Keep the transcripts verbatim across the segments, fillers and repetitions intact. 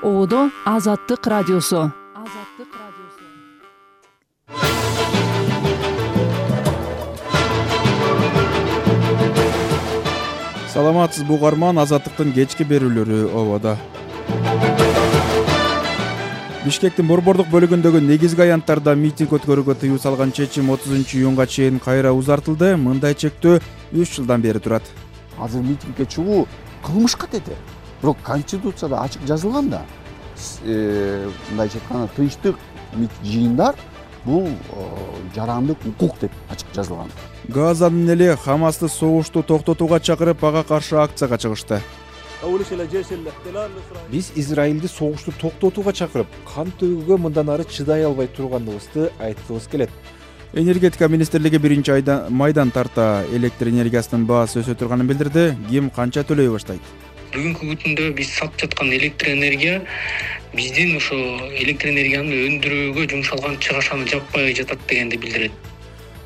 Оодо Азаттык радиосу. Азаттык радиосу. Саламатсызбы угарман, Азаттыктын кечки берүүлөрү ободо. Бишкектин борбордук бөлүгүндөгү негизги аянттарда митинг өткөрүүгө тыюу салган чечим отузунчу июнга чейин кайра узартылды. Мындай чектөө үч жылдан бери турат. Азыр митингге чыгуу кылмышка тети. Бирок Конституцияда ачык жазылган да. Мындайча айтканда тынчтык жыйындар бул жарандык укук деп ачык жазылган. Газанын эли Хамасты согушту токтотууга чакырып, ага каршы акцияга чыгышты. Биз Израилди согушту токтотууга чакырып, кан төгүүгө мындан ары чыдай албай турганыбызды айткыбыз келет. Энергетика министрлиги биринчи айда майдан тарта электр энергиясынын баасы өсө турганын билдирди. Ким канча төлөй баштайт? Бүгүнкү күндө биз сатып жаткан электр энергия биздин ошо электр энергияны өндүрүүгө жумшалган чыгашаны жаппай жатат дегенди билдирет.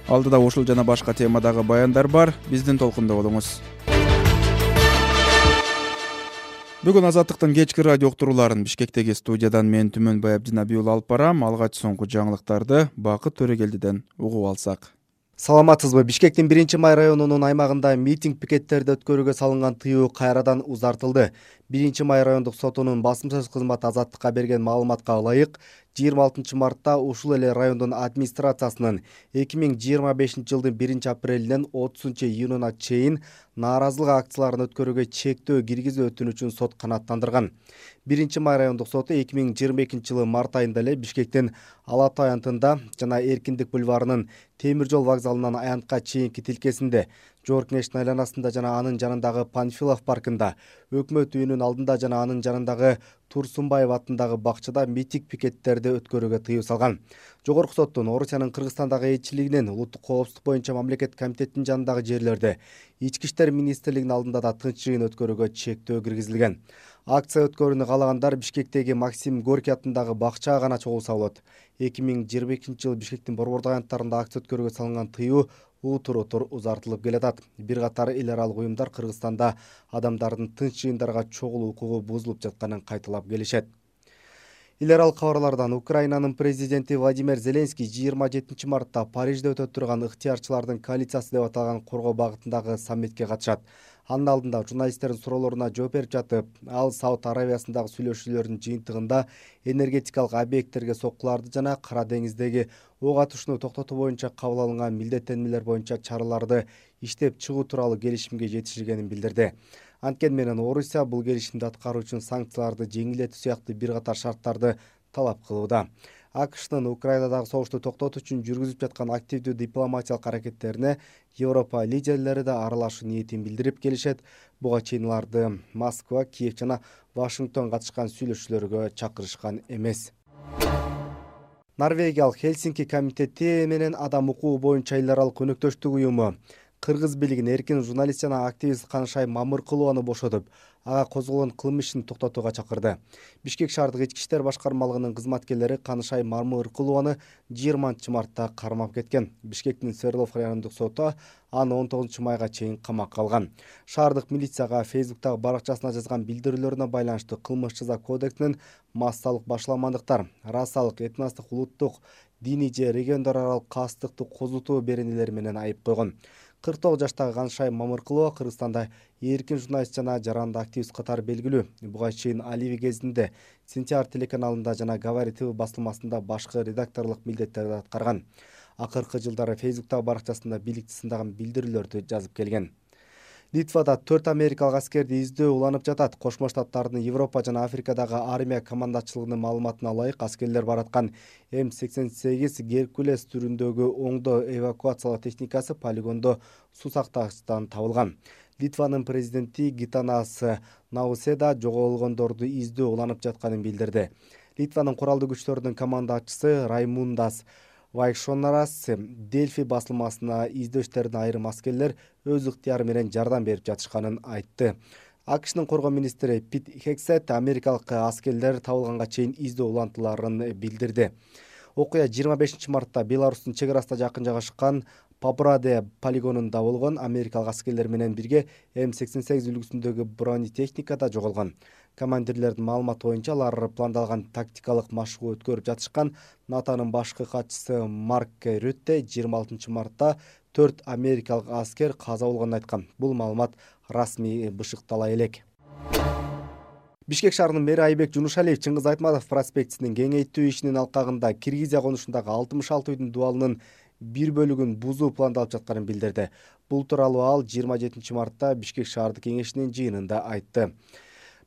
Алдыда ушул жана башка темадагы баяндар бар. Биздин толкунда болуңуз. Бүгүн Азаттыктын кечки радио уктурууларын Бишкектеги студиядан мен Түмөнбай Абдинабий уулу алып барам. Алгач соңку жаңылыктарды Бакыт Төрөгелдиден угуп алсак. Саламатсызбы? Бишкектин биринчи май районунун аймагында митинг пикеттерди өткөрүүгө салынган тыюу кайрадан узартылды. биринчи май райондук сотунун басым сөз кызматы Азаттыкка берген маалыматка ылайык, жыйырма алтынчы мартта ушул эле райондун администрациясынын эки миң жыйырма бешинчи жылдын биринчи апрелинен отузунчу июнуна чейин нааразылык акцияларын өткөрүүгө чектөө киргизүү өтүнүчүн сот канааттандырган. биринчи май райондук соту эки миң жыйырма экинчи жылы март айында эле Бишкектин Ала Тоо аянтында жана Эркиндик бульварынын темир жол вокзалынан аянтка чейинки тилкесинде, Жоор кеңештин айланасында жана анын жанындагы Панфилов паркында, Өкмөт үйүнүн алдында жана анын жанындагы Турсунбаев атындагы бакчада митинг пикеттерди өткөрүүгө тыюу салган. Жогорку соттун Орусиянын Кыргызстандагы элчилигинин улуттук коопсуздук боюнча мамлекеттик комитеттин жанындагы жерлерде, Ички иштер министрлигинин алдында да тынч жыйын өткөрүүгө чектөө киргизилген. Акция өткөрүүнү каалагандар Бишкектеги Максим Горький атындагы бакчага гана чогулса болот. эки миң жыйырма экинчи жылы Бишкектин борбордук аянттарында акция өткөрүүгө салынган тыюу утур-утур узартылып келатат. Бир катар эл аралык уюмдар Кыргызстанда адамдардын тынч жыйындарга чогулуу укугу бузулуп жатканын кайталап келишет. Эл аралык кабарлардан Украинанын президенти Владимир Зеленский жыйырма жетинчи мартта Парижде өтө турган ыктыярчылардын коалициясы деп аталган коргоо багытындагы саммитке катышат. Анын алдында журналисттердин суроолоруна жооп берип жатып, ал Сауд Аравиясындагы сүйлөшүүлөрдүн жыйынтыгында энергетикалык объекттерге соккуларды жана Кара деңиздеги ок атышууну токтотуу боюнча кабыл алынган милдеттенмелер боюнча чараларды иштеп чыгуу тууралуу келишимге жетишилгенин билдирди. Анткени менен Орусия бул келишимди аткаруу үчүн санкцияларды жеңилдетүү сыяктуу бир катар шарттарды талап кылууда. АКШнын Украинадагы согушту токтотуу үчүн жүргүзүп жаткан активдүү дипломатиялык аракеттерине Европа лидерлери да аралашуу ниетин билдирип келишет. Буга чейин аларды Москва, Киев жана Вашингтон катышкан сүйлөшүүлөргө чакырышкан эмес. Норвегиялык Хельсинки комитети менен адам укугу боюнча эл аралык өнөктөштүк уюму кыргыз бийлигин эркин журналист жана активист Канышай Мамыркулованы бошотуп, ага козголгон кылмыш ишин токтотууга чакырды. Бишкек шаардык ички иштер башкармалыгынын кызматкерлери Канышай Мамыркулованы жыйырманчы мартта кармап кеткен. Бишкектин Свердлов райондук соту аны он тогузунчу майга чейин камакка алган. Шаардык милицияга Фейсбуктагы баракчасына жазган билдирүүлөрүнө байланыштуу кылмыш жаза кодексинин массалык башаламандыктар, расалык, этностук, улуттук, диний же региондор аралык кастыктуу козутуу беренелери менен айып койгон. кырк тогуз жаштагы Канышай Мамыркулова Кыргызстанда эркин журналист жана жаранды активист катары белгилүү. Буга чейин Аливи кезинде Сентябрь телеканалында жана Говори ТВ басылмасында башкы редакторлук милдеттерди аткарган. Акыркы жылдары Фейсбуктагы баракчасында бийликти сындаган билдирүүлөрдү жазып келген. Литвада төрт америкалык аскерди издөө уланып жатат. Кошмо Штаттардын Европа жана Африкадагы армия командачылыгынын маалыматына ылайык, аскерлер бараткан М сексен сегиз Геркулес түрүндөгү оңдоо эвакуациялоо техникасы полигондо суу сактагычтан табылган. Литванын президенти Гитанас Науседа жоголгондорду издөө уланып жатканын билдирди. Литванын куралдуу күчтөрүнүн командачысы Раймундас Вайшонарас Дельфи басылмасына издөө иштерине айрым аскерлер өз ыктыяры менен жардам берип жатышканын айтты. АКШнын коргоо министри Пит Хексет америкалык аскерлер табылганга чейин издөө улантыларын билдирди. Окуя жыйырма бешинчи мартта Беларустун чек арасына жакын жайгашкан Пабраде полигонунда болгон америкалык аскерлер менен бирге М сексен сегиз үлгүсүндөгү бронетехника да жоголгон. Командирлердин маалыматы боюнча алар пландалган тактикалык машыгуу өткөрүп жатышкан. НАТОнун башкы катчысы Марк Рютте жыйырма алтынчы мартта төрт америкалык аскер каза болгонун айткан. Бул маалымат расмий бышыктала элек. Бишкек шаарынын мэри Айбек Жунушалиев Чыңгыз Айтматов проспектисинин кеңейтүү ишинин алкагында Киргизия конушундагы алтымыш алты үйдүн дубалынын бир бөлүгүн бузуу пландалып жатканын билдирди. Бул тууралуу ал жыйырма жетинчи мартта Бишкек шаардык кеңешинин жыйынында айтты.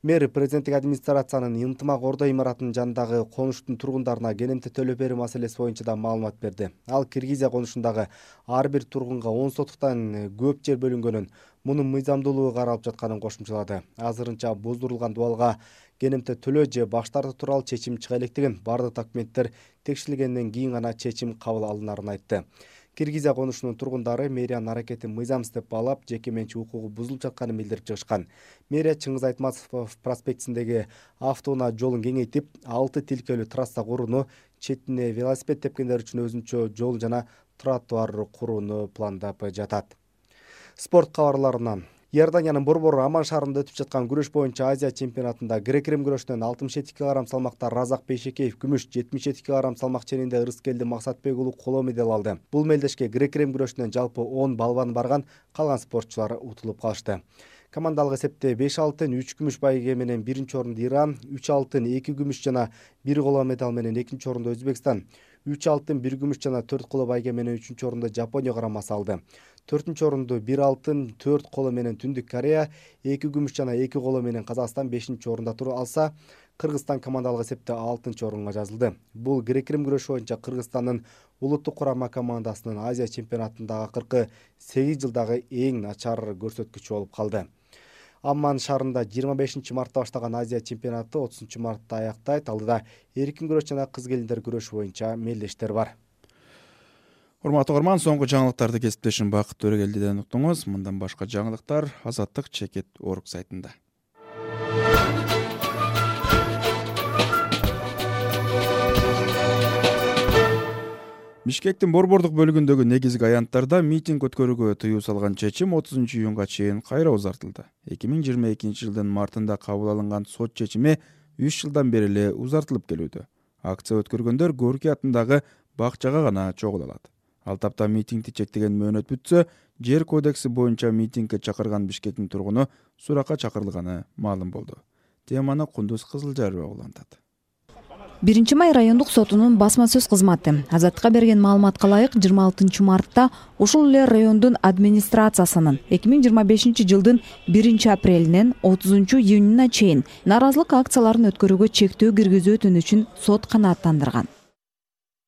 Мэр президенттик администрациянын ынтымак ордо имаратынын жанындагы конуштун тургундарына кенемте төлөп берүү маселеси боюнча да маалымат берди. Ал Киргизия конушундагы ар бир тургунга он сотуктан көп жер бөлүнгөнүн, мунун мыйзамдуулугу каралып жатканын кошумчалады. Азырынча буздурулган дубалга кенемте төлөө же баш тартуу тууралуу чечим чыга электигин, бардык документтер текшерилгенден кийин гана чечим кабыл алынарын айтты. Киргизия конушунун тургундары мэриянын аракетин мыйзамсыз деп баалап, жеке менчик укугу бузулуп жатканын билдирип чыгышкан. Мэрия Чыңгыз Айтматов проспектисиндеги автоунаа жолун кеңейтип, алты тилкелүү трасса курууну, четине велосипед тепкендер үчүн өзүнчө жол жана тротуар курууну пландап жатат. Спорт кабарларынан Иорданиянын Борбор Аман шаарында өтүп жаткан күрөш боюнча Азия чемпионатында грек-рим күрөшүнөн алтымыш жети килограмм салмакта Разак Бейшекеев күмүш, жетимиш жети килограмм салмак ченинде Ырыскелди Максатбек уулу коло медаль алды. Бул мелдешке грек-рим күрөшүнөн жалпы он балбан барган, калган спортчулар утулуп калышты. Командалык эсепте беш алтын, үч күмүш байге менен биринчи орунду Иран, үч алтын, эки күмүш жана бир коло медаль менен экинчи орунду Өзбекстан, үч алтын, бир күмүш жана төрт коло байге менен үчүнчү орунду Жапония карамасы алды. төртүнчү орунду бир алтын, төрт коло менен Түндүк Корея, эки күмүш жана эки коло менен Казакстан бешинчи орунда туруп алса, Кыргызстан командалык эсепте алтынчы орунга жазылды. Бул грек-рим күрөшү боюнча Кыргызстандын улуттук курама командасынын Азия чемпионатындагы акыркы сегиз жылдагы эң начар көрсөткүчү болуп калды. Амман шаарында жыйырма бешинчи мартта баштаган Азия чемпионаты отузунчу мартта аяктайт. Алдыда эркин күрөш жана кыз келиндер күрөшү боюнча мелдештер бар. Урматтуу угарман, соңку жаңылыктарды кесиптешим Бакыт Төрөгелдиден уктуңуз. Мындан башка жаңылыктар Азаттык чекит орг сайтында. Бишкектин борбордук бөлүгүндөгү негизги аянттарда митинг өткөрүүгө тыюу салган чечим отузунчу июнга чейин кайра узартылды. эки миң жыйырма экинчи жылдын мартында кабыл алынган сот чечими үч жылдан бери эле узартылып келүүдө. Акция өткөргөндөр Горький атындагы бакчага гана чогула алат. Ал тапта митингди чектеген мөөнөт бүтсө, жер кодекси боюнча митингге чакырган Бишкектин тургуну суракка чакырылганы маалым болду. Теманы Кундуз Кызылжарова улантат. биринчи май райондук сотунун басма сөз кызматы Азаттыкка берген маалыматка ылайык жыйырма алтынчы мартта ушул эле райондун администрациясынын эки миң жыйырма бешинчи жылдын биринчи апрелинен отузунчу июнуна чейин нааразылык акцияларын өткөрүүгө чектөө киргизүү өтүнүчүн сот канааттандырган.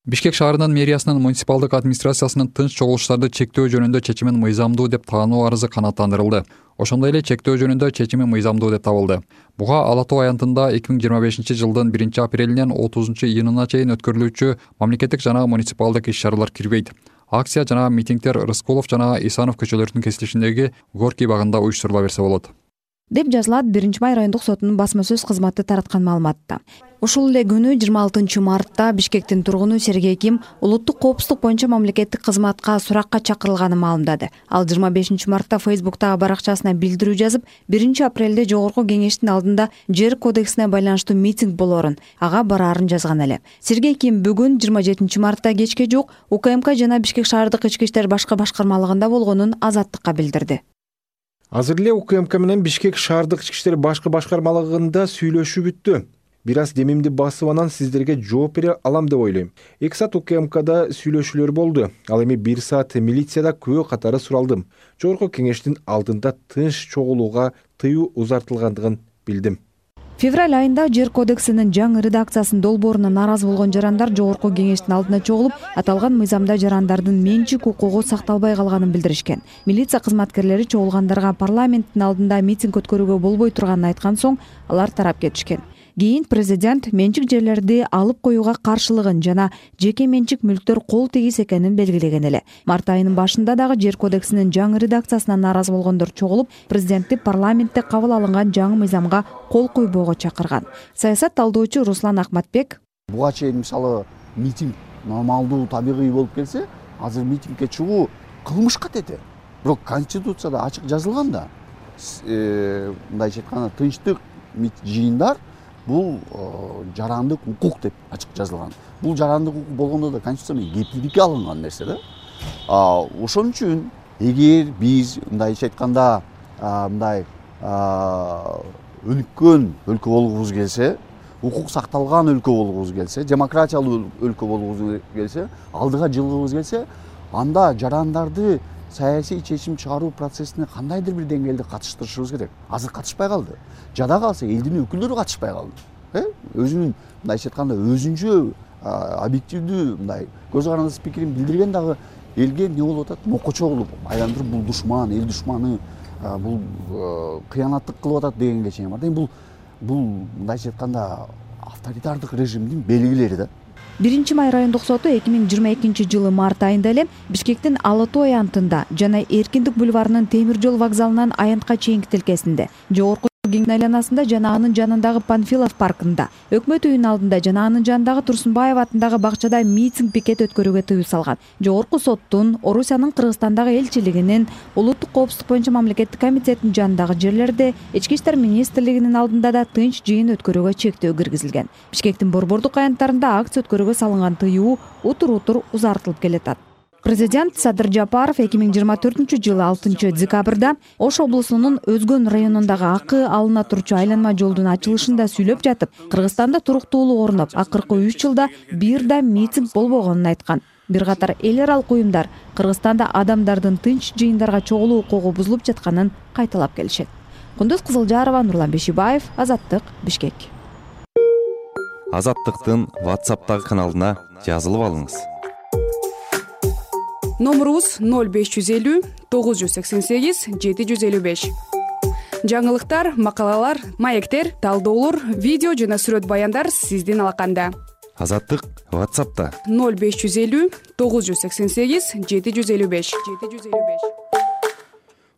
Бишкек шаарынын мэриясынын муниципалдык администрациясынын тынч чогулуштарды чектөө жөнүндө чечимин мыйзамдуу деп таануу арызы канааттандырылды. Ошондой эле чектөө жөнүндө чечими мыйзамдуу деп табылды. Буга Ала Тоо аянтында эки миң жыйырма бешинчи жылдын биринчи апрелинен отузунчу июнуна чейин өткөрүлүүчү мамлекеттик жана муниципалдык иш-чаралар кирбейт. Акция жана митингдер Рыскулов жана Исанов көчөлөрүнүн кесилишиндеги Горький багында уюштурула берсе болот, деп жазылат биринчи май райондук сотунун басма сөз кызматы тараткан маалыматта. Ушул эле күнү жыйырма алтынчы мартта Бишкектин тургуну Сергей Ким улуттук коопсуздук боюнча мамлекеттик кызматка суракка чакырылганын маалымдады. Ал жыйырма бешинчи мартта Фейсбуктагы баракчасына билдирүү жазып, биринчи апрелде жогорку кеңештин алдында жер кодексине байланыштуу митинг болоорун, ага бараарын жазган эле. Сергей Ким бүгүн жыйырма жетинчи мартта кечке жук УКМК жана Бишкек шаардык ички иштер башкы башкармалыгында болгонун Азаттыкка билдирди. Азыр эле УКМК менен Бишкек шаардык ички иштер башкы башкармалыгында сүйлөшүү бүттү. Бир аз демимди басып анан сиздерге жооп бере алам деп ойлойм. эки саат УКМКда сүйлөшүүлөр болду. Ал эми бир саат милицияда күбө катары суралдым. Жогорку кеңештин алдында тынч чогулууга тыюу узартылгандыгын билдим. Февраль айында жер кодексинин жаңы редакциясынын долбооруна нааразы болгон жарандар жогорку кеңештин алдына чогулуп, аталган мыйзамда жарандардын менчик укугу сакталбай калганын билдиришкен. Милиция кызматкерлери чогулгандарга парламенттин алдында митинг өткөрүүгө болбой турганын айткан соң, алар тарап кетишкен. Кийин президент менчик жерлерди алып коюуга каршылыгын жана жеке менчик мүлктөр кол тегиз экенин белгилеген эле. Март айынын башында дагы жер кодексинин жаңы редакциясына нааразы болгондор чогулуп, президентти парламентте кабыл алынган жаңы мыйзамга кол койбоого чакырган. Саясат талдоочу Руслан Акматбек: буга чейин мисалы митинг нормалдуу, табигый болуп келсе, азыр митингге чыгуу кылмышка деди. Бирок конституцияда ачык жазылган да, мындайча айтканда тынчтык жыйындар бул жарандык укук деп ачык жазылган. Бул жарандык укук болгондо да конституция менен кепилдикке алынган нерсе да. Ошон үчүн эгер биз мындайча айтканда мындай өнүккөн өлкө болгубуз келсе, укук сакталган өлкө болгубуз келсе, демократиялуу өлкө болгубуз келсе, алдыга жылгыбыз келсе, анда жарандарды саясий чечим чыгаруу процессине кандайдыр бир деңгээлде катыштырышыбыз керек. Азыр катышпай калды. Жада калса элдин өкүлдөрү катышпай калды. Өзүнүн мындайча айтканда өзүнчө объективдүү мындай көз карандысы пикирин билдирген дагы элге эмне болуп атат? Мокочо кылып айландырып, бул душман, эл душманы, бул кыянаттык кылып атат дегенге чейин бар. Бул бул мындайча айтканда авторитардык режимдин белгилери да. биринчи май райондук соту эки миң жыйырма экинчи жылы март айында эле Бишкектин Ала Тоо аянтында жана Эркиндик бульварынын темир жол вокзалынан аянтка чейинки тилкесинде, жогорку кеңеш айланасында жана анын жанындагы Панфилов паркында, өкмөт үйүнүн алдында жана анын жанындагы Турсунбаев атындагы бакчада митинг пикет өткөрүүгө тыюу салган. Жогорку соттун Орусиянын Кыргызстандагы элчилигинин, улуттук коопсуздук боюнча мамлекеттик комитеттин жанындагы жерлерде, Ички иштер министрлигинин алдында да тынч жыйын өткөрүүгө чектөө киргизилген. Бишкектин борбордук аянттарында акция өткөрүүгө салынган тыюу утур-утур узартылып келатат. Президент Садыр Жапаров эки миң жыйырма төртүнчү жылы алтынчы декабрда Ош облусунун Өзгөн районундагы акы алына турчу айланма жолдун ачылышында сүйлөп жатып, Кыргызстанда туруктуулук орноп, акыркы үч жылда бир да митинг болбогонун айткан. Бир катар эл аралык уюмдар Кыргызстанда адамдардын тынч жыйындарга чогулуу укугу бузулуп жатканын кайталап келишет. Кундуз Кызылжарова, Нурлан Бешибаев, Азаттык, Бишкек. Азаттыктын WhatsApp'тагы каналына жазылып алыңыз. Номерубуз ноль беш жүз элүү тогуз жүз сексен сегиз жети жүз элүү беш. Жаңылыктар, макалалар, маектер, талдоолор, видео жана сүрөт баяндар сиздин алаканда. Азаттык WhatsApp'та ноль беш жүз элүү тогуз жүз сексен сегиз жети жүз элүү беш.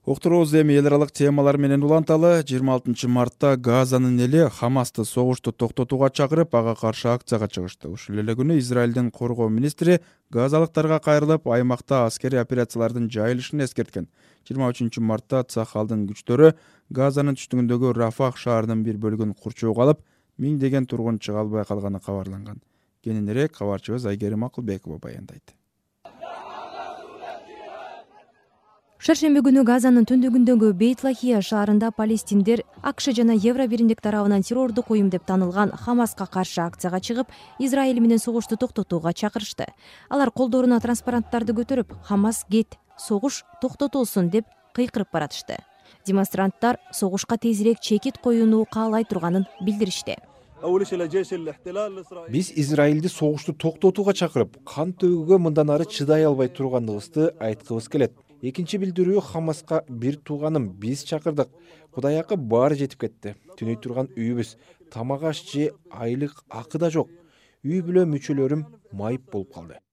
Уктуруубуз эми эл аралык темалар менен уланталы. жыйырма алтынчы мартта Газанын эли Хамасты согушту токтотууга чакырып, ага каршы акцияга чыгышты. Ушул эле күнү Израилдин коргоо министри газалыктарга кайрылып, аймакта аскерий операциялардын жайылышын эскерткен. жыйырма үчүнчү мартта Цахалдын күчтөрү Газанын түштүгүндөгү Рафах шаарынын бир бөлүгүн курчоого алып, миңдеген тургун чыга албай калганы кабарланган. Кененирээк кабарчыбыз Айгерим Акылбекова баяндайт. Шаршемби күнү Газанын түндүгүндөгү Бейт-Лахия шаарында палестиндер АКШ жана Евро биримдик тарабынан террордук уюм деп танылган Хамаска каршы акцияга чыгып, Израиль менен согушту токтотууга чакырышты. Алар колдоруна транспаранттарды көтөрүп, Хамас кет, согуш токтотулсун деп кыйкырып баратышты. Демонстранттар согушка тезирээк чекит коюуну каалай турганын билдиришти. Биз Израилди согушту токтотууга чакырып, кан төгүүгө мындан ары чыдай албай турганыбызды айткыбыз келет. Экинчи билдирүү Хамаска бир тууганым биз чакырдык. Кудай акы баары жетип кетти. Түнөй турган үйүбүз, тамак аш же айлык акы да жок. Үй бүлө мүчөлөрүм майып болуп калды,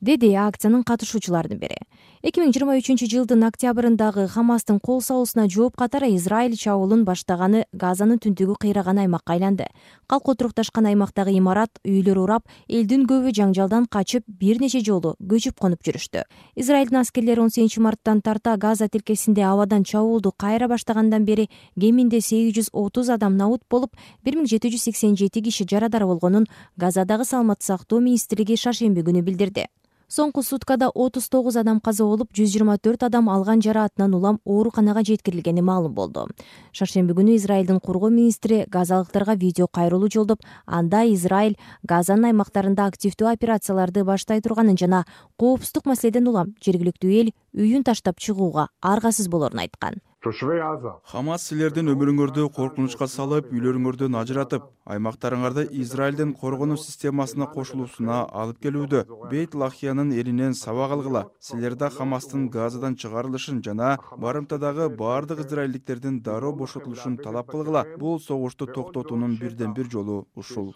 деди акциянын катышуучулардын бири. эки миң жыйырма үчүнчү жылдын октябрындагы Хамастын кол салуусуна жооп катары Израиль чабуулун баштаганы Газанын түндүгү кыйраган аймакка айланды. Калк отурукташкан аймактагы имарат, үйлөр урап, элдин көбү жаңжалдан качып, бир нече жолу көчүп конуп жүрүштү. Израилдин аскерлери он сегизинчи марттан тарта Газа тилкесинде абадан чабуулду кайра баштагандан бери кеминде сегиз жүз отуз адам набут болуп, бир миң жети жүз сексен жети киши жарадар болгонун Газадагы саламаттык сактоо министрлиги шаршемби күнү билдирди. Соңку суткада отуз тогуз адам каза болуп, жүз жыйырма төрт адам алган жараатынан улам ооруканага жеткирилгени маалым болду. Шаршемби күнү Израилдин коргоо министри газалыктарга видео кайрылуу жолдоп, анда Израиль Газанын аймактарында активдүү операцияларды баштай турганын жана коопсуздук маселеден улам жергиликтүү эл үйүн таштап чыгууга аргасыз болорун айткан. Хамас силердин өмүрүңөрдү коркунучка салып, үйлөрүңөрдөн ажыратып, аймактарыңарды Израилдин коргонуу системасына кошулуусуна алып келүүдө. Бейт-Лахиянын элинен сабак алгыла. Силер да Хамастын Газадан чыгарылышын жана барымтадагы баардык израилдиктердин дароо бошотулушун талап кылгыла. Бул согушту токтотуунун бирден бир жолу ушул,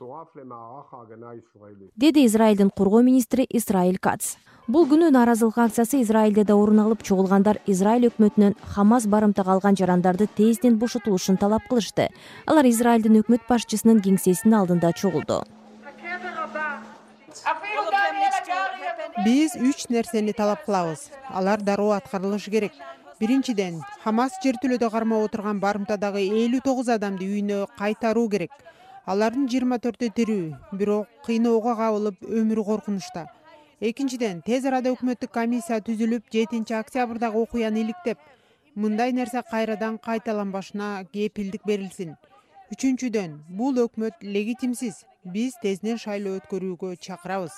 деди Израилдин коргоо министри Исраиль Кац. Бул күнү нааразылык акциясы Израилде да орун алып, чогулгандар Израиль өкмөтүнөн Хамас барымтага алган жарандарды тезден бошотулушун талап кылышты. Алар Израилдин өкмөт башчысынын кеңсесинин алдында чогулду. Биз үч нерсени талап кылабыз. Алар дароо аткарылышы керек. Биринчиден, Хамас жер тилөдө кармап отурган барымтадагы элүү тогуз адамды үйүнө кайтаруу керек. Алардын жыйырма төртү тирүү, бирок кыйноого кабылып өмүрү коркунучта. Экинчиден, тез арада өкмөттүк комиссия түзүлүп, жетинчи октябрдагы окуяны иликтеп, мындай нерсе кайрадан кайталанбашына кепилдик берилсин. Үчүнчүдөн, бул өкмөт легитимсиз. Биз тезинен шайлоо өткөрүүгө чакырабыз.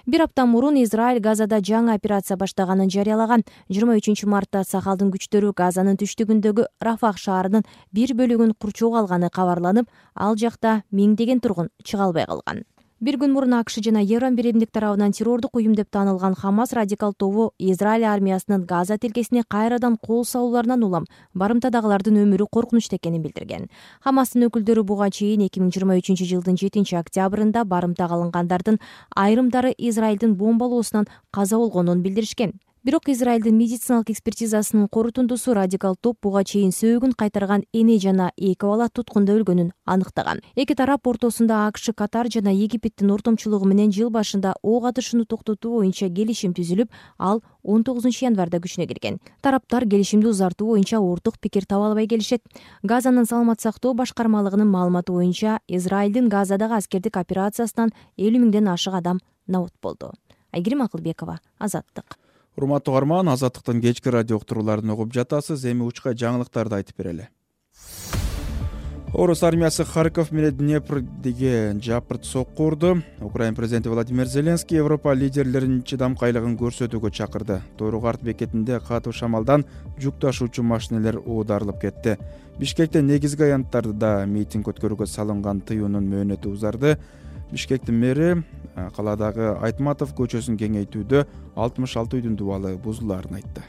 Бир апта мурун Израиль Газада жаңы операция баштаганын жарыялаган. жыйырма үчүнчү мартта Сахалдын күчтөрү Газанын түштүгүндөгү Рафах шаарынын бир бөлүгүн курчоого алганы кабарланып, ал жакта миңдеген тургун чыга албай калган. Бир күн мурун АКШ жана Еврон биримдик тарабынан террордук уюм деп таанылган Хамас радикал тобу Израиль армиясынын Газа тилкесине кайрадан кол салууларынан улам барымтадагылардын өмүрү коркунучта экенин билдирген. Хамастын өкүлдөрү буга чейин эки миң жыйырма үчүнчү жылдын жетинчи октябрында барымтага алынгандардын айрымдары Израилдин бомбалоосунан каза болгонун билдиришкен. Бирок Израилдин медициналык экспертизасынын корутундусу радикал топ буга чейин сөөгүн кайтарган эне жана эки бала туткунда өлгөнүн аныктаган. Эки тарап ортосунда АКШ, Катар жана Египеттин ортомчулугу менен жыл башында ок атышууну токтотуу боюнча келишим түзүлүп, ал он тогузунчу январда күчүнө кирген. Тараптар келишимди узартуу боюнча орток пикир таба албай келишет. Газанын саламат сактоо башкармалыгынын маалыматы боюнча Израилдин Газадагы аскердик операциясынан элүү миңден ашык адам набут болду. Айгерим Акылбекова, Азаттык. Урматтуу угарман, Азаттыктын кечки радио уктурууларын угуп жатасыз. Эми учка жаңылыктарды айтып берели. Орус армиясы Харьков менен Днепрдеги жапырт сокку урду. Украин президенти Владимир Зеленский Европа лидерлеринин чыдамкайлыгын көрсөтүүгө чакырды. Тойругарт бекетинде катуу шамалдан жүк ташуучу машинелер оодарылып кетти. Бишкекте негизги аянттарда митинг өткөрүүгө салынган тыюунун мөөнөтү узарды. Бишкектин мэри каладагы Айтматов көчөсүн кеңейтүүдө алтымыш алты үйдүн дубалы бузулаарын айтты.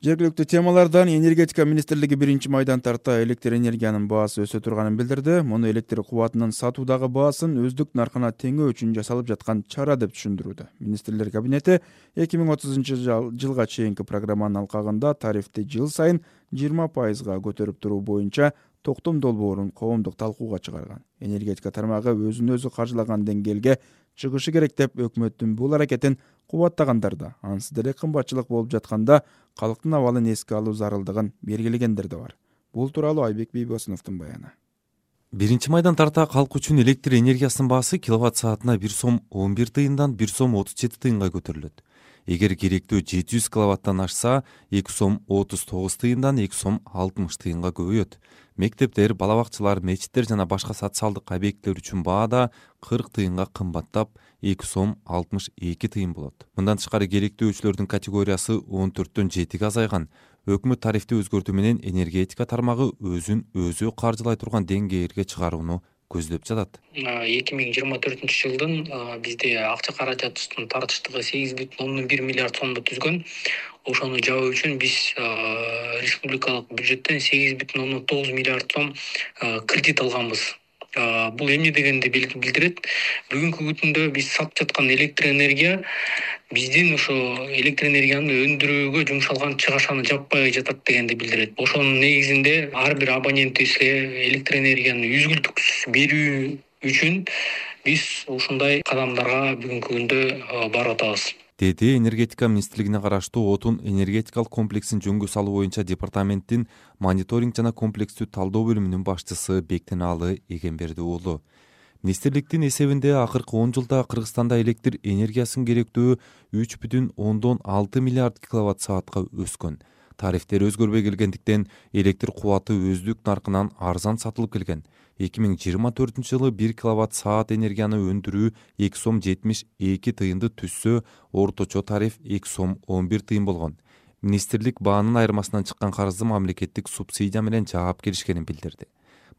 Жергиликтүү темалардан энергетика министрлиги биринчи майдан тарта электр энергиянын баасы өсө турганын билдирди. Муну электр кубатынын сатуудагы баасын өздүк наркына теңөө үчүн жасалып жаткан чара деп түшүндүрүүдө. Министрлер кабинети эки миң отузунчу жылга чейинки программанын алкагында тарифти жыл сайын жыйырма пайызга көтөрүп туруу боюнча токтом долбоорун коомдук талкууга чыгарган. Энергетика тармагы өзүн өзү каржылаган деңгээлге чыгышы керек деп өкмөттүн бул аракетин кубаттагандар да, ансыз деле кымбатчылык болуп жатканда калктын абалын эске алуу зарылдыгын белгилегендер да бар. Бул тууралуу Айбек Бейбосуновдун баяны. Биринчи майдан тарта калк үчүн электр энергиясынын баасы киловатт саатына бир сом он бир тыйындан бир сом отуз жети тыйынга көтөрүлөт. Эгер керектүү жети жүз киловаттан ашса, эки сом отуз тогуз тыйындан эки сом алтымыш тыйынга көбөйөт. Мектептер, бала бакчалар, мечиттер жана башка социалдык объекттер үчүн баа да кырк тыйынга кымбаттап, эки сом алтымыш эки тыйын болот. Мындан тышкары керектүү өчүлөрдүн категориясы он төрттөн жетиге азайган. Өкмөт тарифти өзгөртүү менен энергетика тармагы өзүн өзү каржылай турган деңгээлге чыгарууну көздөп жатат. эки миң жыйырма төртүнчү жылдын бизде акча каражатыбыздын тартыштыгы сегиз бүтүн ондон бир миллиард сомду түзгөн. Ошону жабуу үчүн биз республикалык бюджеттен сегиз бүтүн ондон тогуз миллиард сом кредит алганбыз. Бул эмне дегенди билдирет? Бүгүнкү күндө биз сатып жаткан электр энергия биздин ошо электр энергияны өндүрүүгө жумшалган чыгашаны жаппай жатат дегенди билдирет. Ошонун негизинде ар бир абонентибизге электр энергияны үзгүлтүксүз берүү үчүн биз ушундай кадамдарга бүгүнкү күндө барып атабыз. Деди энергетика министрлигине караштуу отун энергетикалык комплексин жөнгө салуу боюнча департаменттин мониторинг жана комплекстүү талдоо бөлүмүнүн башчысы Бектенаалы Эгемберди уулу. Министрликтин эсебинде акыркы он жылда Кыргызстанда электр энергиясынын керектөө үч бүтүн ондон алты миллиард киловатт саатка өскөн. Тарифтер өзгөрбөй келгендиктен электр кубаты өздүк наркынан арзан сатылып келген. эки миң жыйырма төртүнчү жылы бир киловатт саат энергияны өндүрүү эки сом жетимиш эки тыйынды түзсө, орточо тариф эки сом он бир тыйын болгон. Министрлик баанын айырмасынан чыккан карызды мамлекеттик субсидия менен жаап келишкенин билдирди.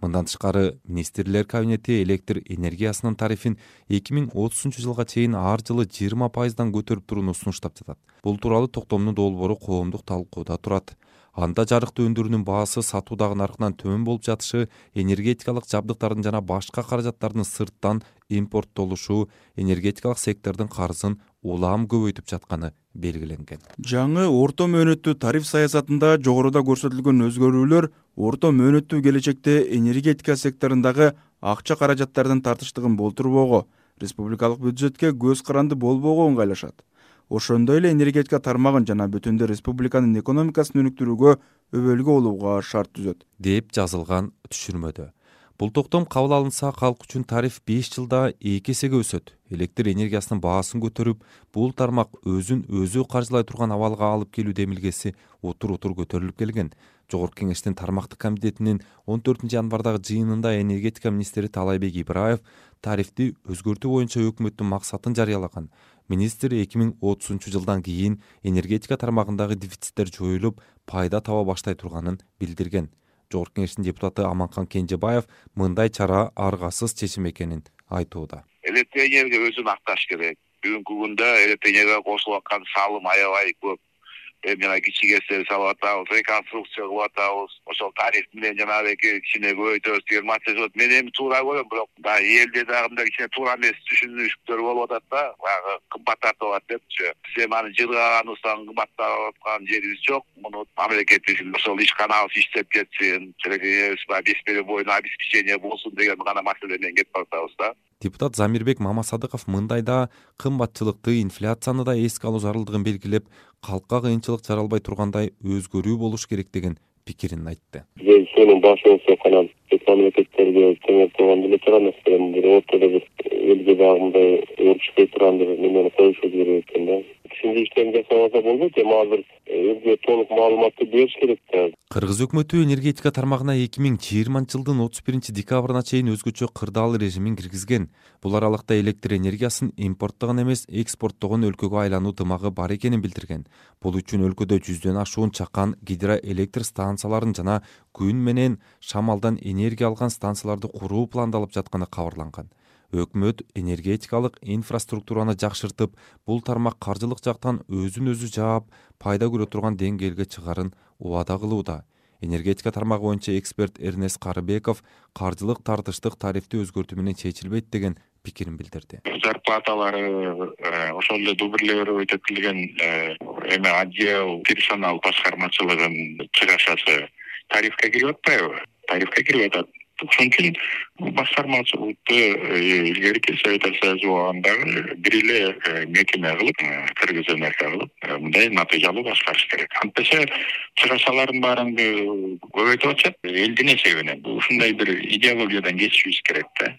Мындан тышкары министрлер кабинети электр энергиясынын тарифин эки миң отузунчу жылга чейин ар жылы жыйырма пайыздан көтөрүп турууну сунуштап жатат. Бул тууралуу токтомдун долбоору коомдук талкууда турат. Анда жарыктуу өндүрүүнүн баасы сатуудагы наркынан төмөн болуп жатышы, энергетикалык жабдыктардын жана башка каражаттардын сырттан импорттолушу энергетикалык сектордун карызын улам көбөйтүп жатканы белгиленген. Жаңы орто мөөнөттүү тариф саясатында жогоруда көрсөтүлгөн өзгөрүүлөр орто мөөнөттүү келечекте энергетика секторундагы акча каражаттардын тартыштыгын болтурбоого, республикалык бюджетке көз каранды болбоого ыңгайлашат. Ошондой эле энергетика тармагын жана бүтүндө республиканын экономикасын өнүктүрүүгө өбөлгө болууга шарт түзөт, деп жазылган түшүрмөдө. Бул токтом кабыл алынса, калк үчүн тариф беш жылда эки эсеге өсөт. Электр энергиясынын баасын көтөрүп, бул тармак өзүн өзү каржылай турган абалга алып келүү демилгеси утур-утур көтөрүлүп келген. Жогорку кеңештин тармактык комитетинин он төртүнчү январдагы жыйынында энергетика министри Таалайбек Ибраев тарифти өзгөртүү боюнча өкмөттүн максатын жарыялаган. Министр эки миң отузунчу жылдан кийин энергетика тармагындагы дефициттер жоюлуп, пайда таба баштай турганын билдирген. Жогорку кеңештин депутаты Аманкан Кенжебаев мындай чара аргасыз чечим экенин айтууда. Электр энергия өзүн акташ керек. Бүгүнкү күндө электр энергияга кошулуп аткан салым аябай көп. Эми жана кичи кесип салып атабыз, реконструкция кылып атабыз. Ошол тариф менен жанагы кичине көбөйтөбүз деген маселе. Мен эми туура көрөм, бирок баягы элде дагы мындай кичине туура эмес түшүнүштөр болуп атат да, баягы кымбат тартып алат депчи. Сен аны жылгаганыбыздан кымбаттап аткан жерибиз жок. Муну мамлекет үчүн ошол ишканабыз иштеп кетсин, электр беш берүү боюна обеспечение болсун деген гана маселе менен кетип атабыз да. Депутат Замирбек Мамасадыков мындайда кымбатчылыкты, инфляцияны да эске алуу зарылдыгын белгилеп, калкка кыйынчылык жаралбай тургандай өзгөрүү болуш керек деген пикирин айтты. Сенин башыңызда канат мамлекеттерге теңеп турган эле турган маселени бир ортодо бир элге дагы мындай өрүшпөй турган бир немени коюшубуз керек экен да. Түшүндүрүштөрүн жасабаса болбойт, эми азыр элге толук маалыматты бериш керек да. Кыргыз өкмөтү энергетика тармагына эки миң жыйырманчы жылдын отуз биринчи декабрына чейин өзгөчө кырдаал режимин киргизген. Бул аралыкта электр энергиясын импорттогон эмес, экспорттогон өлкөгө айлануу дымагы бар экенин билдирген. Бул үчүн өлкөдө жүздөн ашуун чакан гидроэлектр станцияларын жана күн менен шамалдан энергия алган станцияларды куруу пландалып жатканы кабарланган. Өкмөт энергетикалык инфраструктураны жакшыртып, бул тармак каржылык жактан өзүн өзү жаап, пайда көрө турган деңгээлге чыгарын убада кылууда. Энергетика тармагы боюнча эксперт Эрнест Карыбеков каржылык тартыштык тарифти өзгөртүү менен чечилбейт деген пикирин билдирди. Зарплаталары ошол эле дубирлөө өтөтүлгөн эме отдел персонал башкармачылыгынын чыгашасы тарифке кирип атпайбы? Тарифке кирип атат. Ошон үчүн башкармачылыкты илгерки Совет Союзундагы бир эле мекеме кылып, Кыргыз энергия кылып, мындай натыйжалуу башкарыш керек. Антесе чыгашалардын баарын көбөйтүп атышат элдин эсебинен. Ушундай бир идеологиядан кечишибиз керек да.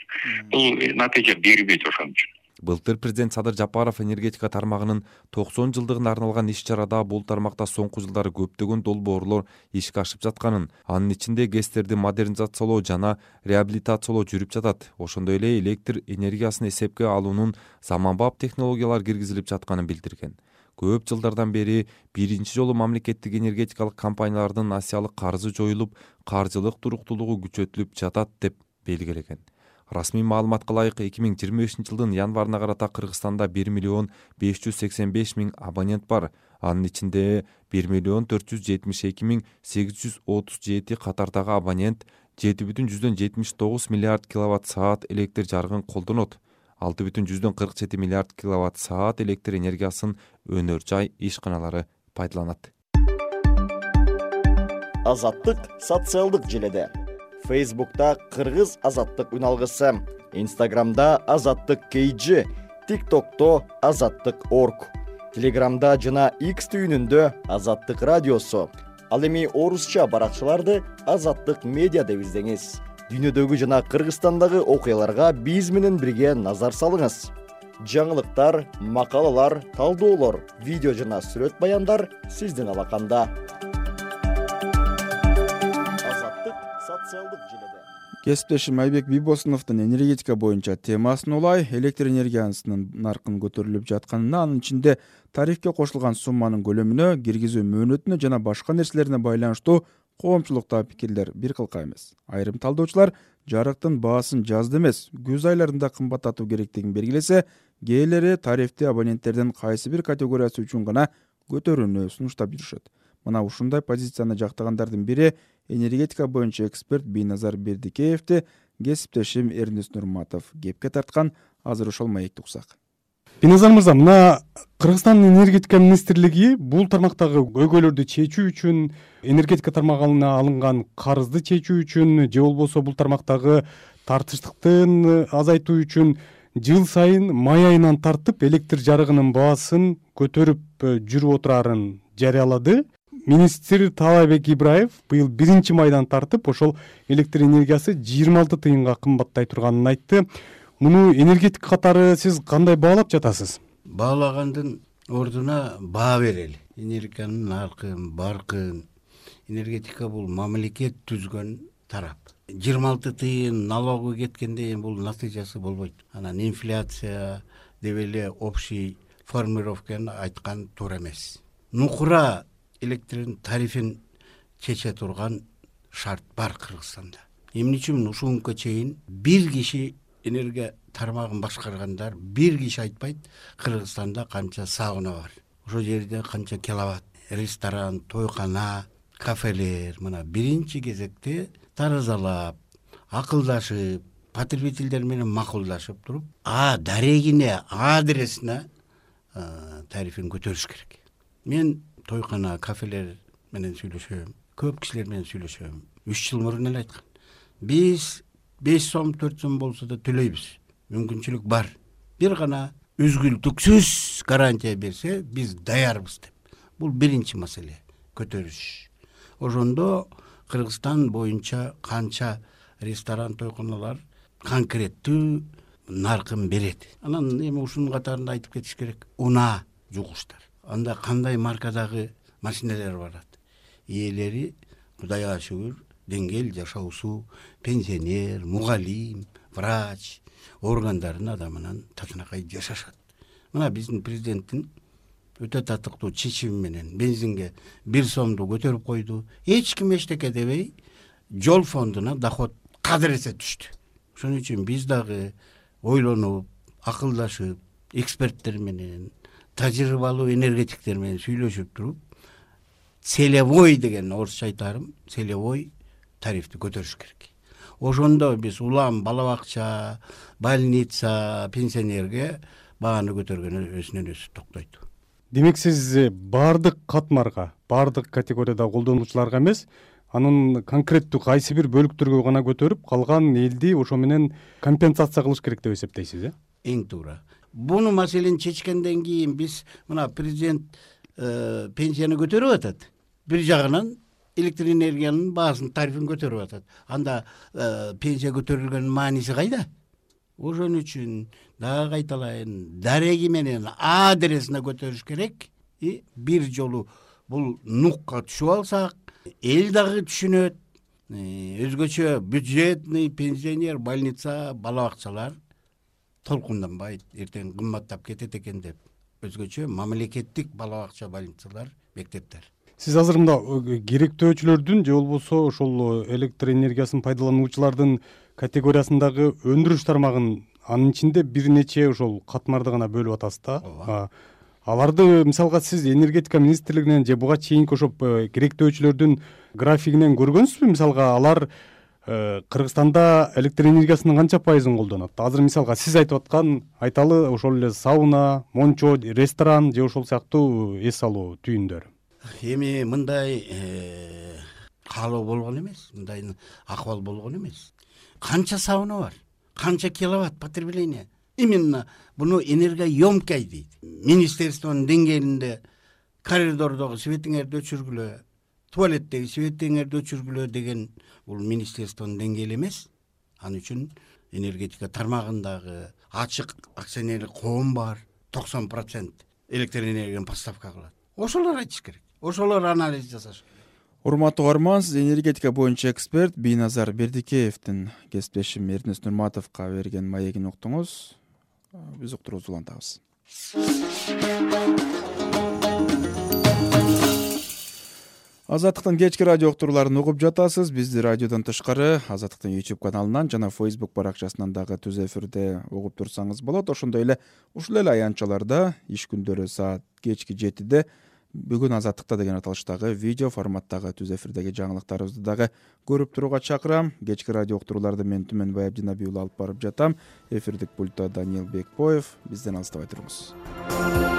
Бул натыйжа бербейт ошон үчүн. Былтыр президент Садыр Жапаров энергетика тармагынын токсон жылдыгына арналган иш-чарада бул тармакта соңку жылдары көптөгөн долбоорлор ишке ашып жатканын, анын ичинде ГЭСтерди модернизациялоо жана реабилитациялоо жүрүп жатат. Ошондой эле электр энергиясын эсепке алуунун заманбап технологиялар киргизилип жатканын билдирген. Көп жылдардан бери биринчи жолу мамлекеттик энергетикалык компаниялардын асиялык карызы жоюлуп, каржылык туруктуулугу күчөтүлүп жатат деп белгилеген. Расмий маалыматка ылайык эки миң жыйырма бешинчи жылдын январына карата Кыргызстанда бир миллион беш жүз сексен беш миң абонент бар. Анын ичинде бир миллион төрт жүз жетимиш эки миң сегиз жүз отуз жети катардагы абонент жети бүтүн жүздөн жетимиш тогуз миллиард киловатт саат электр жарыгын колдонот. алты бүтүн жүздөн кырк жети миллиард киловатт саат электр энергиясын өнөр жай ишканалары пайдаланат. Азаттык социалдык желеде. Фейсбукта Кыргыз азаттык үналгысы, Инстаграмда Азаттык кей джи, ТикТокто Азаттык орг, Телеграмда жана X түйүнүндө Азаттык радиосу. Ал эми орусча баракчаларды Азаттык медиа деп издеңиз. Дүйнөдөгү жана Кыргызстандагы окуяларга биз менен бирге назар салыңыз. Жаңылыктар, макалалар, талдоолор, видео жана сүрөт баяндар сиздин алаканда. Кесиптешим Айбек Бибосуновдун энергетика боюнча темасын улай, электр энергиясынын наркын көтөрүлүп жатканына, анын ичинде тарифке кошулган сумманын көлөмүнө, киргизүү мөөнөтүнө жана башка нерселерине байланыштуу коомчулукта пикирлер бир кылка эмес. Айрым талдоочулар жарыктын баасын жазда эмес, күз айларында кымбаттатуу керектигин белгилесе, кээделери тарифти абоненттердин кайсы бир категориясы үчүн гана көтөрүүнү сунуштап жүрүшөт. Мына ушундай позицияны жактагандардын бири энергетика боюнча эксперт Бийназар Бердикеевди кесиптешим Эрнест Нурматов кепке тарткан. Азыр ошол маекти уксак. Биназар мырза, мына Кыргызстандын энергетика министрлиги бул тармактагы көйгөйлөрдү чечүү үчүн, энергетика тармагына алынган карызды чечүү үчүн же болбосо бул тармактагы тартыштыктын азайтуу үчүн жыл сайын май айынан тартып электр жарыгынын баасын көтөрүп жүрүп отурарын жарыялады. Министр Таалайбек Ибраев быйыл биринчи майдан тартып ошол электр энергиясы жыйырма алты тыйынга кымбаттай турганын айтты. Муну энергетика катары сиз кандай баалап жатасыз? Баалагандын ордуна баа берели. Энергетиканын наркын, баркын. Энергетика бул мамлекет түзгөн тарап. жыйырма алты тыйын налогу кеткенде бул натыйжасы болбойт. Анан инфляция деп эле общий формулировканы айткан туура эмес. Нукура электрдин тарифин чече турган шарт бар Кыргызстанда. Эмне үчүн ушунга чейин бир киши энергия тармагын башкаргандар бир киши айтпайт Кыргызстанда канча сауна бар, ошол жерде канча киловатт, ресторан, тойкана, кафелер. Мына биринчи кезекте таразалап, акылдашып, потребительдер менен макулдашып туруп, а дарегине, адресине тарифин көтөрүш керек. Мен тойкана, кафелер менен сүйлөшөм, көп кишилер менен сүйлөшөм. үч жыл мурун эле айткан. Биз беш сом, төрт сом болсо да төлөйбүз. Мүмкүнчүлүк бар. Бир гана үзгүлтүксүз гарантия берсе, биз даярбыз деп. Бул биринчи маселе, көтөрүш. Ошондо Кыргызстан боюнча канча ресторан, тойканалар конкреттүү наркын берет. Анан эми ушунун катарында айтып кетиш керек. Унаа жугуштар. Анда кандай маркадагы машиналар барат. Ээлери Кудайга шүгүр деңгел жашоосу, пенсионер, мугалим, врач органдардын адамынан татынакай жашашат. Мына биздин президенттин өтө татыктуу чечими менен бензинге бир сомду көтөрүп койду. Эч ким эчтеке дебей жол фондуна доход кадыресе түштү. Ошон үчүн биз дагы ойлонуп, акылдашып, эксперттер менен, тажрыйбалуу энергетиктер менен сүйлөшүп туруп, целевой деген орусча айтарым, целевой тарифти көтөрүш керек. Ошондо биз улам бала бакча, больница, пенсионерге бааны көтөргөн өзүнөн өзү токтойт. Демек сиз баардык катмарга, баардык категорияда колдонуучуларга эмес, анын конкреттүү кайсы бир бөлүктөргө гана көтөрүп, калган элди ошо менен компенсация кылыш керек деп эсептейсиз, э? Эң туура. Буну маселени чечкенден кийин биз мына президент пенсияны көтөрүп атат. Бир жагынан электр энергиянын баасын, тарифин көтөрүп атат. Анда пенсия көтөрүлгөнүн мааниси кайда? Ошон үчүн дагы кайталайын, дареги менен адресине көтөрүш керек. И бир жолу бул нукка түшүп алсак, эл дагы түшүнөт. Өзгөчө бюджетный, пенсионер, больница, бала бакчалар толкунданбайт, эртең кымбаттап кетет экен деп. Өзгөчө мамлекеттик бала бакча, больницалар, мектептер. Сиз азыр мында керектөөчүлөрдүн же болбосо ошол электр энергиясын пайдалануучулардын категориясындагы өндүрүш тармагын, анын ичинде бир нече ошол катмарды гана бөлүп атасыз да. Аларды мисалга сиз энергетика министрлигинен же буга чейинки ошо керектөөчүлөрдүн графигинен көргөнсүзбү? Мисалга алар Кыргызстанда электр энергиясынын канча пайызын колдонот? Азыр мисалга сиз айтып аткан, айталы ошол эле сауна, мончо, ресторан же ошол сыяктуу эс алуу түйүндөр. Эми мындай каалоо болгон эмес, мындай акыбал болгон эмес. Канча сауна бар, канча киловатт потребление. Именно буну энергоемкий дейт. Министерствонун деңгээлинде коридордогу светиңерди өчүргүлө, туалеттеги светиңерди өчүргүлө деген бул министерствонун деңгээли эмес. Ал үчүн энергетика тармагындагы ачык акционерлик коом бар, токсон процент электр энергияны поставка кылат. Ошолор айтыш керек. Ошолор анализ жасаш керек. Урматтуу угарман, сиз энергетика боюнча эксперт Бийназар Бердикеевдин кесиптешим Эрнест Нурматовго берген маегин уктуңуз. Биз уктурубузду улантабыз. Азаттыктын кечки радио уктурууларын угуп жатасыз. Бизди радиодон тышкары Азаттыктын YouTube каналынан жана Facebook баракчасынан дагы түз эфирде угуп турсаңыз болот. Ошондой эле ушул эле аянтчаларда иш күндөрү саат кечки жетиде бүгүн азаттыкта деген аталыштагы видео форматтагы түз эфирдеги жаңылыктарыбызды дагы көрүп турууга чакырам. Кечки радио уктурууларды мен Түмөнбай Абдинабиулла алып барып жатам. Эфирдик пультта Даниил Бекбоев. Бизден алыстабай туруңуз.